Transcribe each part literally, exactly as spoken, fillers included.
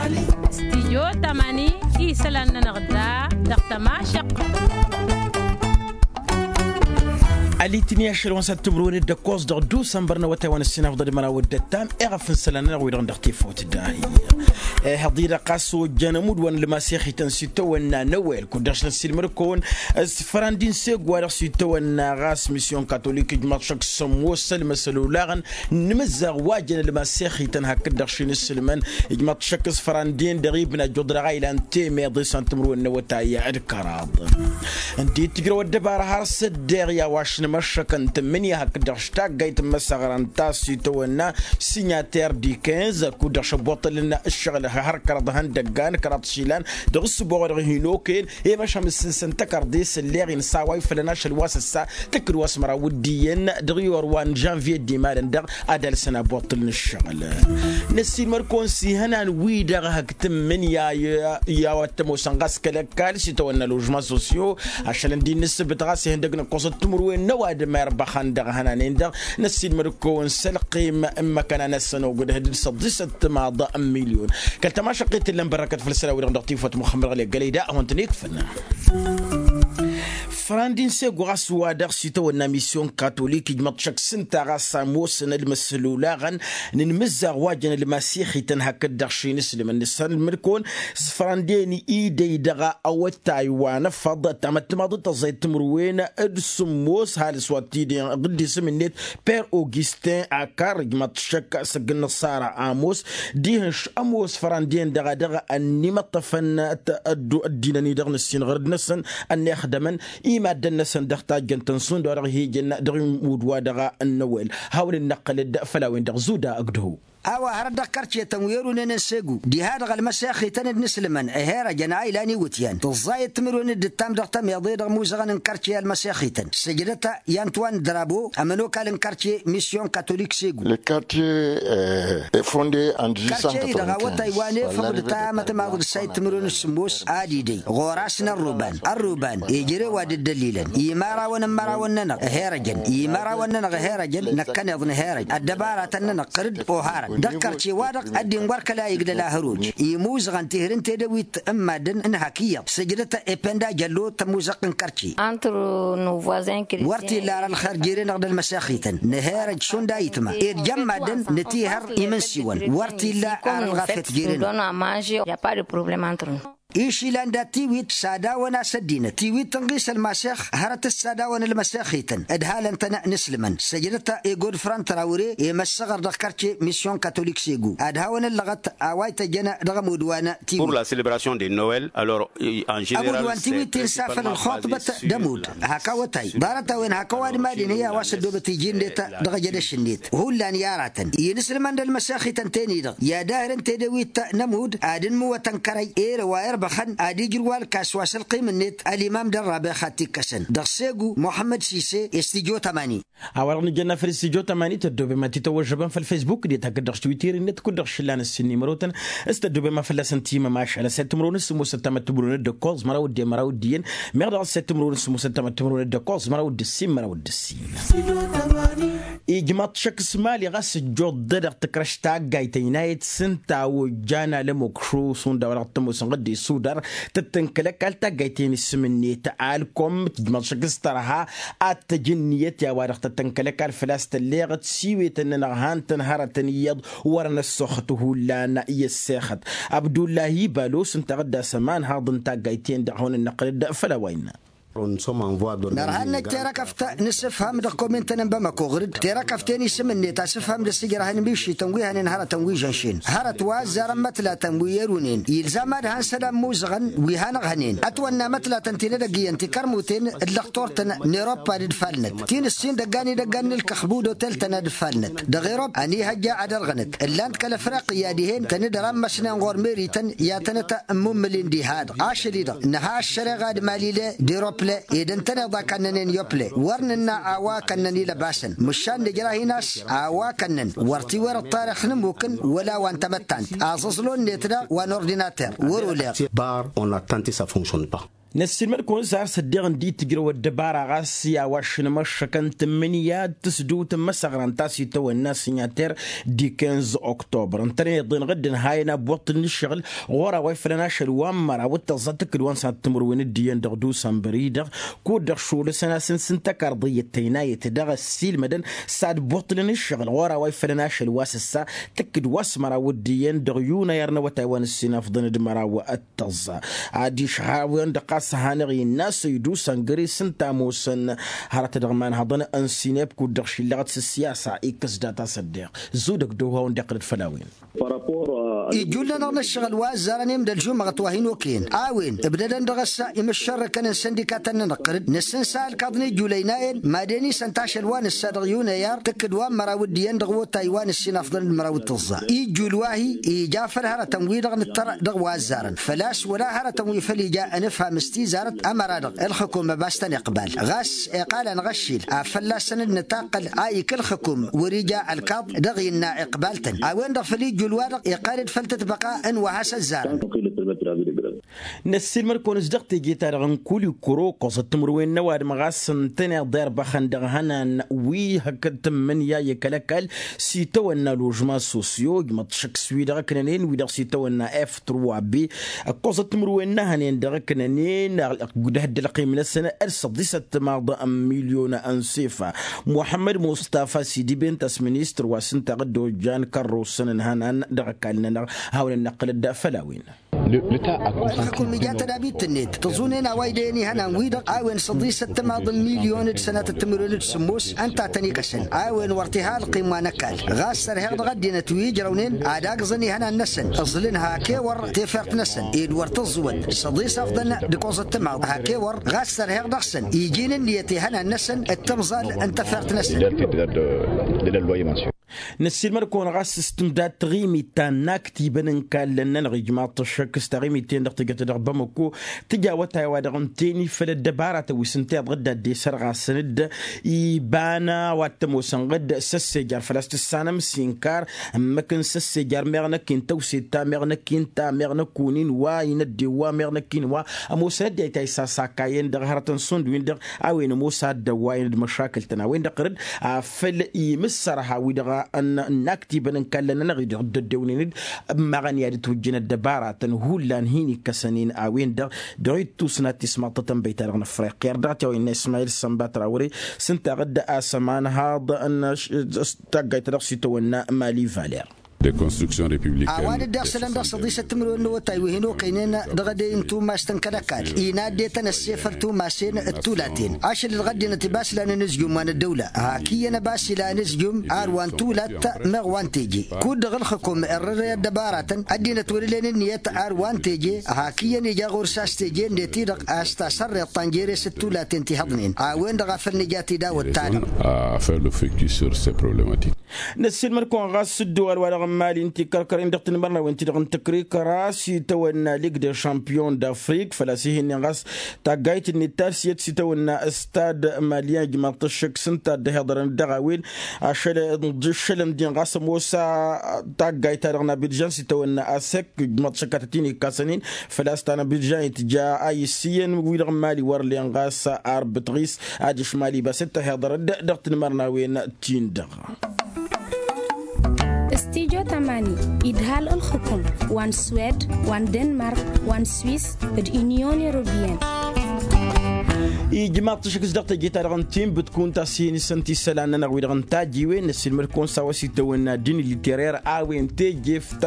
Stijyo tamani isălan-nănăɣ da dăɣ-tămašăq. Alitni ašăl wa n-săt timǝrwen d-ăkkoẓ dăɣ-dusănbăr n-awătay wa n-ǝssin afḍăl d-măraw d-ăttam eɣăf n-isălan-nănăɣ wi-dăɣ dăɣ-tifawt d-ahi. Ehăḍ-i-dăɣ ɣas ojjăn ămudd wa n-lămasex-ităn s-itawănna n-ewel kud-dăɣ-s năssiilmăd kăwăn s-fărandi n-segu wa dăɣ-s itawănna ɣas misyon katolik ijmaḍ šăkk s-ămoos ălmăsăl olaɣăn n-imǝzzaɣ wa jăn ălmasex-ităn hakd-dăɣ šin isǝlmăn. Ijmaḍ šăkk s-fărandi-en-dăɣ ibna ăjjuḍ dăɣ-a ilan temeḍe s-an timǝrwen n-awătay d-kăraḍ. Ǝndi tǝjrăw ăddăbara har s-ăddeɣ i-a-wa š-nǝmăššăkăn tǝmmǝnǝya hakd-dăɣ š-taggayt n-imăsăɣra n-ta s-itawănna sinyater dikenz kud-dăɣ šăbboṭălăn ǝššăɣǝl har kăraḍ ihăndăggan kăraḍ išilan dăɣ-ǝssǝboɣ wa dăɣ-hin-okăyăn i-măšhăm ǝssǝnsăn tăkărdest ălleɣ-in s-a-wa ifălăn ašăl wa s-ăssa tǝkkǝd wa s-măraw d-iyyăn dăɣ-iyor wa n-žănvye d-imalăn-dăɣ ad-alsăn aboṭṭǝl n-ǝššăɣǝl. Năssiilmăd-kăwăn s-ihănan wi-dăɣ hak tǝmmǝnǝya i-a-wa t-ămoosăn ɣas kăl-ăkall s-itawănna ložments sociaux ašăl ǝndi n-ǝssǝbǝt ɣas ihăndăg n-ǝkkoẓăt timǝrwen n-ăwadǝm irbăxăn dăɣ-ihănanen-dăɣ. Năssiilmăd-kăwăn s-ălqim n-imăkăna-năsăn ogdăh d-săḍisăt timaḍ n-milyon. Kăl-tămašăqqit tǝllăn bărrăkăt făll-isălan-wi-dăɣ dăɣ-tifawt muxămmăd ɣăli ăggălăy da a hawăn-tăn-ikfăn. Fărandi n-segu ɣas wa dăɣ-s itawănna misyon katolik ijmăḍ šăkk s-ǝnta ɣas a ămoosăn ălmăsăl olaɣăn n-inmǝzzaɣ wa jăn ălmasex-ităn hakd-dăɣ šinǝslǝmăn nǝssanălmăd-kăwăn s-fărandi-en idăy dăɣ-awătay wa n-ăffăḍ ăttamăt timaḍit tăẓẓayăt timǝrwen d-sǝmmos halǝs wa t-idăyăn ɣǝddisăm-net per augustin akar ijmăḍ šăkk săgg-năṣara ămoos dihen š-ămoos fărandi-en dăɣ-a dăɣ-ănnimăṭṭăfăn ăddinăn-i-dăɣ n-ǝssin ɣărăd-năsăn ănnixdămăn i-maddăn-năsăn dăɣ-tajjăn-tăn šund wa dăɣ-hi-ijăn dăɣ-imud wa dăɣ-năwel. Hawăn-dd-năqqălăd făll-a-wen-dăɣ zuda ǝgdăhu. A-wa hărăt dăɣ-kărcetăn wi ărunănăn segu diha-dăɣ ălmăsexităn d-inǝslǝmăn ăherăjăn a ilan iwǝtyan tǝẓẓayăt timǝrwen d-ǝttam dăɣ-tămeḍe dăɣ-imuzăɣăn n-kărce i-ălmăsexităn sǝjdăt i-antwan drabo ămănokal n-kărce misyon katolik segu. Kărce-i-dăɣ awătay wa n-efăḍ d-tamătmaḍ d-sayǝt timǝrwen d-sǝmmos ad-idăy ɣur-asăn ărruban ărruban ejărew ad-dd-ăllilăn imărawăn n-imărawăn-nănăɣ ăherăjăn imărawăn-nănăɣ ăherăjăn năkkăneḍ nǝherăj ăddăbaratăn-nănăɣ qărǝd oharăn dăɣ-kărce-wa-dăɣ ăddin wăr kăla iglăl ahăruj imuzăɣăn tihǝr n-tedăwit n-maddǝn n-hak iyyăḍ sǝjdăt ependa jăllo tămuzăɣt n-kărce. Wăr t-illa ar ălxer jere-năɣ d-ălmăsexităn nǝherăj šund a itma ed jăn maddǝn nǝtihăr imǝnsiwăn wăr t-illa ar ălɣafyăt jere-năɣ. Išilan dat-tiwit s-ad-awăn-as ăddinăt tiwit tǝnɣis ălmasex hărăt s-ad-awăn-ălmăsexităn ǝdhalăn-tăn n-islǝmăn săjdăt i-godfran trawre i-măssăɣăr dăɣ-kărce misyon katolik segu ad-hawăn-ăllăɣăt a-wa ităjjăn dăɣ-ămudd wa n-tiwit. Ămudd wa n-tiwit insa făll-ălxuṭbăt d-ămudd hak awătay ḍarăt-a-wen hak ăwadǝm ad-inhǝy a-wa s-ăddoobăt iji-net-dăɣ ăjădăš-net hullan i-aratăn i-inǝslǝmăn d-ălmăsexităn-ten-i-dăɣ i-ad-ahr n-tedăwit n-ămudd ad-ǝnmǝwătăn kărăy erăw a irbăxăn ad-ijrǝw alkas wa s-ălqim-net ălimam d-ărrabex ad-t-ikkăsăn dăɣ-segu muḥămmăd sise. Istijjo tămani. A-wa-dăɣ nǝjănna făll-istijjo tămani tăddoobem ad-t-tawăžžăbăm făll-fesbuk d-e-takăt dăɣ-s twitter-net kud-dăɣ šǝllan ǝssin n-imărotăn s-tăddoobem a fălla-săn timămašal ăssayăt timǝrwen s-sǝmmos ăttamăt timǝrwen d-ǝkkoẓ măraw d-e-măraw d-iyyăn meɣ dăɣ-ăssayăt timǝrwen s-sǝmmos ăttamăt timǝrwen d-ǝkkoẓ măraw d-ǝssin măraw d-ǝssin. Ijmăḍ šăkk s-mali ɣas ǝjjuḍ-dăɣ tǝkrăš taggayt ăynayăt s-ǝnta a ojjan alămokšo šund a-wa dăɣ-tămoosăn ɣǝdde sudar tăt-tǝnkăl ăkall taggayt-en isǝm-net alkom tǝjmăḍ šăkk s-tărha ad-tăj ǝnniyăt i-a-wa-dăɣ tăt-tǝnkăl ăkall făl-a-s tălleɣăt s-iwetăn-nănăɣ han-tăn hărătăn iyyăḍ wăr-năssoxăt hullan i-ăssexăt. Abdullahi balo s-ǝnta ɣǝddas ămanhaḍ n-taggayt-en-dăɣ hawăn-ănnăqqǝlăd făll-a-wa innă. Nărha ad-năj terăkăft n-asǝfham dăɣ-komin-tăn n-bamăko ɣǝr-dd terăkăft-en isǝm-net asǝfham d-asǝjrăh n-mišităn wi hănen hărătăn wi žănšen hărăt wa ăzzarăn mătlatăn wi ărunen ilzam ad-han-sălan imuzăɣăn wi hanăɣ-hănen ătwănna mătlatăn ti n-edăgg iyyăn tikărmuten d-lăxtur-tăn n-eroppa d-dd-falnăt ti n-ǝssin dăggan idăggan n-ǝlkăxbu d-otel-tăn ad-dd-falnăt dăɣ-erop ănihăjja ad-ărɣǝnăt ǝllan-t kăl-afriqya dihen tăn-dd-rămmăsnen ɣur-meri-tăn i-ad-tănăt-ămmummǝlin diha-dăɣ ašăl-i-dăɣ nǝha ăššăreɣa d-mali le d-erople ed ǝntăneḍ a kannănen yople wăr nǝnna a-wa kănnăn ilăbasăn măšan nǝjrah-in a-s a-wa kănnăn wăr t-iwărăt tarix n-ămmukǝn wăla wa n-tamăttant aẓǝẓlu-net daɣ wa n-ordinater wăr-oleɣ. Bar on attente sa fonctionne pas. Năssiilmăd-kăwăn s-ar s-ăddiɣ ǝndi tǝjrăw ăddăbara ɣas i-a-wa ăššǝnmăššăkăn tǝmmǝnǝya d-tǝsdǝwt n-imăsăɣra ǝnta a-s itawănna s-inyăter di kinz oktobăr ǝntănen iḍen ɣǝddǝn hayăn abbuṭṭǝl n-ǝššăɣǝl ɣur-a-wa ifălăn ašăl wa n-măraw d-tăẓẓa tǝkkǝd wa n-sănat timǝrwen d-iyyăn dăɣ-dusănbăr-i-dăɣ kud-dăɣ šolăsăn-as n-sǝnta karḍăyyăt tăynayăt dăɣ-ăssiilmădăn s-ad-buṭṭǝlăn ǝššăɣǝl ɣur-a-wa ifălăn ašăl wa s-ǝssa tǝkkǝd wa s-măraw d-iyyăn dăɣ-yunăyăr n-awătay wa n-ǝssin afḍăn d-măraw d-tăẓẓa. Adiš hawăn-dăɣ ɣas hanăɣ-innă a-s idusăn găre s-ǝnta ămoosăn hărăt dăɣ-imanhăḍăn n-sineb kud-dăɣ šillăɣăt s-ǝssiyasa ikkăs data s-ăddeɣ zudăg d-ohawăn-dd-iqqǝlăd făll-a-wen. Ijjul-nănăɣ n-ǝššăɣǝl wa ăzzarăn i-imdăl žumăɣăt wa hin-okăyăn a-wen ǝbdădăn dăɣ-s imǝššărrǝkăn n-săndikatăn-nănăɣ tărǝd năssǝnsal kaḍ n-ijjulăynayen mad-en isăn tašăl wa nǝssa dăɣ-yunăyar tǝkkǝd wa n-măraw d-iyyăn dăɣ-wotay wa nǝssin afḍăn d-măraw d-tǝẓẓa. Ijjul wa-hi ija făll-hărătăn-wi-dăɣ nǝttăr dăɣ-wa ăzzarăn făl-a-s wăla hărătăn wi făll-ija ănǝfham s-tizarăt ămăra-dăɣ ǝlxǝkum ăbas-tăn-iqbal ɣas iqal-anăɣ ăššil a fălla-săn d-nǝtaqqǝl a ikǝlxǝkum wăr-ija ălkaḍ dăɣ-innă iqbal-tăn. A-wen-dăɣ făll-ijjul wa-dăɣ iqal-dd făll-tǝtbăqa n-wa has-ăzzarăn. Năssiilmăd-kăwăn-s dăɣ-teje-ta-dăɣ n-kulikuro ǝkkoẓăt timǝrwen n-ăwadǝm ɣas ǝntăneḍ irbăxăn dăɣ-ihănan wi hăkkăd tǝmmǝnǝya i-kăl-ăkall s-itawănna ložma sosyo ijmăḍ šăkk s-wi-dăɣ ǝknănen wi-dăɣ s-itawănna f trois b ǝkkoẓăt timǝrwen n-ehănen dăɣ-ǝknănen d-ehădd ălqim-năsăn d-săḍisăt timaḍ n-milyon n-sefa. Muḥămmăd mustafa s-idib-en ta s-ministăr wa s-ǝnta ɣǝddo jan kărrosăn n-ihănan dăɣ-ăkall-nănăɣ hawăn-ănnăqqǝlăd făll-a-wen. Ǝlxǝkum ija tădabit-net tǝẓunen a-wa idăyăn ihănan-wi-dăɣ a-wen săḍisăt timaḍ n-milyon d-sănatăt timǝrwen d-sǝmmos ǝnta a tăn-ikăsăn a-wen wăr t-iha ălqim wa n-ăkall. Ɣas sărheɣ dăɣ-ăddinăt wi ǝjrăwnen ad-agẓăn ihănan-năsăn ǝẓlǝn hakewăr tefert-năsăn ed wăr tǝẓẓǝwăt săḍisăfḍăn d-ǝkkoẓăt timaḍ hakewăr ɣas sărheɣ dăɣ-săn iji n-ǝnniyăt ihănan-năsăn d-timẓal n-tefert-năsăn. Năssiilmăd-kăwăn ɣas s-tǝmdad taɣimit ta n-inaktibăn n-kallăn-nănăɣ ijmaḍ-t ăššăk s-taɣimit-ten-dăɣ tǝjăt dăɣ-bamăko tǝja awătay wa dăɣ-ǝnten-i făll-ăddăbaratăn wi s-ǝnta iḍɣǝd ad-dd-esărɣasăn-dd iba n-a-wa t-ămoosăn ɣǝdd s-ăssejar făl-a-s tǝssanăm s-inkar ǝmmǝk n-săssejar meɣ năkk-in tăwset ta meɣ năkk-in ta meɣ năkk-un-in wa inădden wa meɣ năkk-in wa ămoosăn ăddinăt a isasakayăn dăɣ-hărătăn šund-win-dăɣ a-wen ămoos a dd-ăwwayăn d-măšakǝl-tăn a-wen-dăɣ tărǝd afăl imǝssărha wi-dăɣ n-inaktibăn n-kallăn-nănăɣ-i-dăɣ dd-ăddewnen-dd ămmaɣăn i-ad-ǝtwǝjjǝn ăddăbaratăn hullan hin-ikkăsăn-in a-wen-dăɣ dăɣ-ittus n-ad-tismaḍtăt n-băyta-dăɣ n-afriqya ărdăɣ-t i-a-wa innă ismayil sănbat rawăre s-ǝnta ɣǝdda a-s ămanhaḍ n-taggayt ta dăɣ-s itawănna mali valer. A-wa dd-iɣsǝlăn dăɣ-săḍisăt timǝrwen n-awătay wi hin-okăynen dăɣ-edăy n-tumast n-kăl-ăkall inaddetăn ăssefăl tumasen d-tulaten ašăl-dăɣ ăddinăt ibaslan anǝzjum wa n-ăddăwla hak iyyăn ăbas ila anǝzjum ar wa n-tulat meɣ wa n-teje. Kud-dăɣ ǝlxǝkum irrǝrăy ăddăbaratăn ăddinăt wăr-ǝllen ǝnniyăt ar wa n-teje hak iyyăn ija ɣur-s a-s teje-net-i-dăɣ a-s tasărreḍt ta n-jere-s d-tulaten ti hăḍnen a-wen-dăɣ a făl nǝja tidawăt-ta-dăɣ. Afăl ufekis săr-s problematik. Năssiilmăd-kăwăn ɣas s-ǝddǝwal-wa-dăɣ n-mali n-tikărkăren dăɣ-tinmărnawen-ti-dăɣ n-tǝkrikăra s-itawănna lig de champion d-afrik făl-a-s ih'-ǝnnin ɣas taggayt-net ta s-iyyăt s-itawănna stad maliyan ijmaḍ-t ăššăk s-ǝnta a dd-ăhiḍărăn dăɣ-a-wen ašăl n-dd-iššălăn din ɣas ămoos taggayt-ta-dăɣ n-abidžan s-itawănna asek ijmaḍ-t šăkatăt-in ikkasăn-in făl-a-s ta n-abidžan itja a issiyăn wi-dăɣ n-mali wăr len ɣas arbǝtɣis adiš mali bas dd-tăhiḍărăd dăɣ-tinmărnawen-tin-dăɣ. Stijo tamani idhal ǝlxǝkum wa n-swed wa n-denmark wa n-swis d-inyon europeyăn. Ijmaḍ-t ašăk s-dăɣ teje-ta-dăɣ n-tinbǝtkun ta s-hin-isăn tisălan-nănăɣ wi-dăɣ n-tajiwen năssiilmăd-kăwăn s-a-wa s-itawănna din literer a-wen tejeft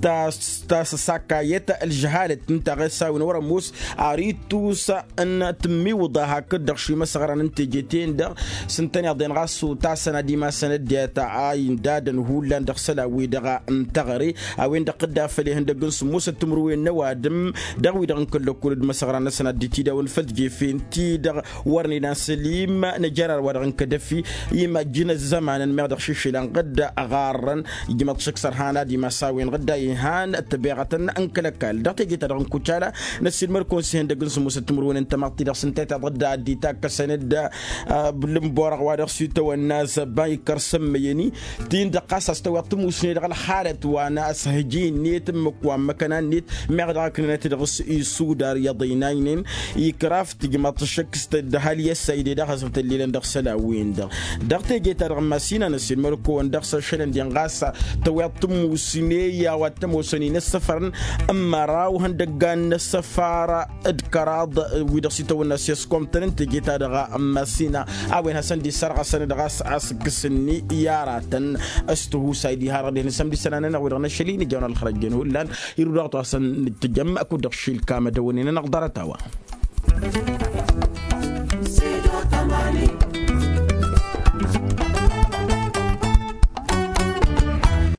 ta s-săsakayăt ălžăhalăt ǝnta ɣas a-wen wăr-ămoos ar ittus n-tǝmmiwǝḍa hakd-dăɣ šimăsăɣran n-teje-ten-dăɣ s-ǝntăneḍ-en ɣas utasăn ad-imasăn ăddinăt a indadăn hullan dăɣ-isălan-wi-dăɣ n-teɣăre a-wen-dăɣ tǝdda făll-ihăndăg n-sǝmmosăt timǝrwen n-ăwadǝm dăɣ-wi-dăɣ n-kăl-lăkkul d-imăsăɣran-năsăn ad-dd-tidawăn făll-tijefent. dăɣ-wărnen an sălim năjărar wa dăɣ-n kădăfi imajjǝn ăzzămanăn meɣ dăɣ-šišilăn ɣǝdda ăɣarrăn. Ijmăḍ šăkk s-ărhan ad-imas a-wen ɣǝdda ihan ăttăbeɣătăn n-kăl-ăkall dăɣ-teje-ta-dăɣ n-kucala. Năssiilmăr-kăwăn s-ihăndăg n-sǝmmusăt timǝrwen n-tamăḍt-ti-dăɣ s-ǝnta i-taḍădda ad-dd-itakk ăsănădda. Ǝlǝnborăɣ wa dăɣ-s itawănna zăbba ikăr-sămmăyăn-i ti-dăɣ ɣas a-s tăweḍ tǝmmusne dăɣ-ălxalăt wa n-asăhji-net ǝmmǝk wa n-măkăna-net meɣ dăɣ-ăknănăt dăɣ-s isudar iyyăḍ ăynaynen. Ikraf tǝjmăḍ-t šăkk s-tădda hal i-ăssayde daɣ hasăb tăllilăn dăɣ-isălan-win-dăɣ dăɣ-teje-ta-dăɣ n-masinăn ăssiilmăr-kăwăn dăɣ-s ašălăn-den ɣas tăweḍ tǝmmusne i-a-wa t-ămoosăn inăssăfărăn n-măraw ihăndăggan n-ăssăfar d-kăraḍ wi-dăɣ s-itawănna s-i-ăskomtăn n-teje-ta-dăɣ n-masina a-wen hasăn-dd-isărɣăsăn-dd ɣas asǝkkǝs-ni i-aratăn. S-tihusay diha-dăɣ dihen s-ămdisăn-anănăɣ wi-dăɣ n-ašăl-i nǝjăwăn ălxărăjjăn hullan. Irǝw daɣ-t wa săn-dd-tǝjăm ăkud-dăɣ šilkam ad-ăwănen-anăɣ ḍarăt-a-wa.